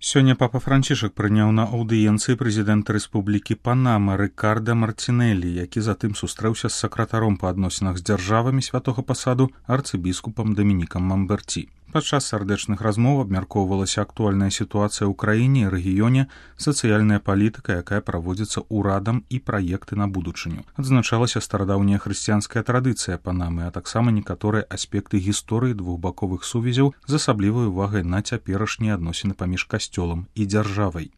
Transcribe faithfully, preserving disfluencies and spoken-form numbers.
Сёння папа Францішак прыняў на аўдыенцыі прэзідэнта Рэспублікі Панама Рыкарда Мартинелі, які затым сустрэўся з сакратаром па адносінах з дзяржавамі святога пасаду арцыбіскупам Дамінікам Мамберці. Падчас сардэчных размоў абмяркоўвалася актуальная сітуацыя ў краіне і рэгіёне, сацыяльная палітыка, якая праводзіцца ўрадам і праекты на будучыню. Адзначалася старадаўняя хрысціянская традыцыя Панамы, а таксама некаторыя аспекты гісторыі двухбаковых сувязяў з асаблівай увагай на цяперашнія адносіны паміж касцёлам і дзяржавай.